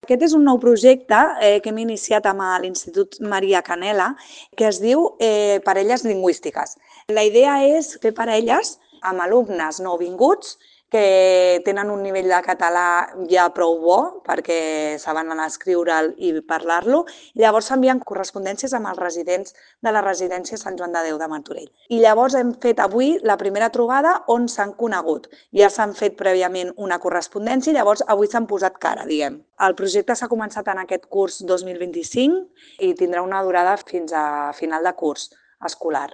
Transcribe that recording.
Aquest és un nou projecte que hem iniciat amb l'Institut Maria Canela, que es diu Parelles Lingüístiques. La idea és fer parelles amb alumnes nouvinguts que tenen un nivell de català ja prou bo perquè saben anar a escriure'l i parlar-lo. Llavors s'envien correspondències amb els residents de la residència Sant Joan de Déu de Martorell. I llavors hem fet avui la primera trobada on s'han conegut. Ja s'han fet prèviament una correspondència i llavors avui s'han posat cara, diguem. El projecte s'ha començat en aquest curs 2025 i tindrà una durada fins a final de curs escolar.